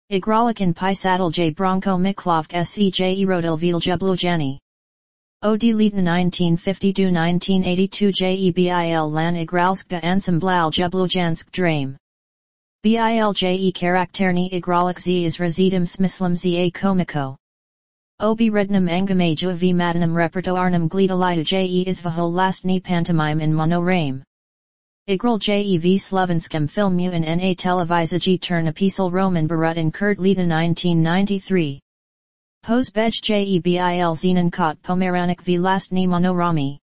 Igralikan pisadal j Bronco Miklovk sej erodil Viljeblujani. Od leta 1952-1982 jebil lan igralska ensemblal Jeblujansk Drame. Bilje karakterni igralik z izrazitim smislem za komiko. Obi rednum angamaju v madanum repertoarnum gledalita je izvahol lastni pantomime in monorame. Igral je v slovenskem filmu in na televiziji Turnapisal Roman Barut in Kurt leta 1993. Pozbej je bil zenen kot pomeranik v lastni monorami.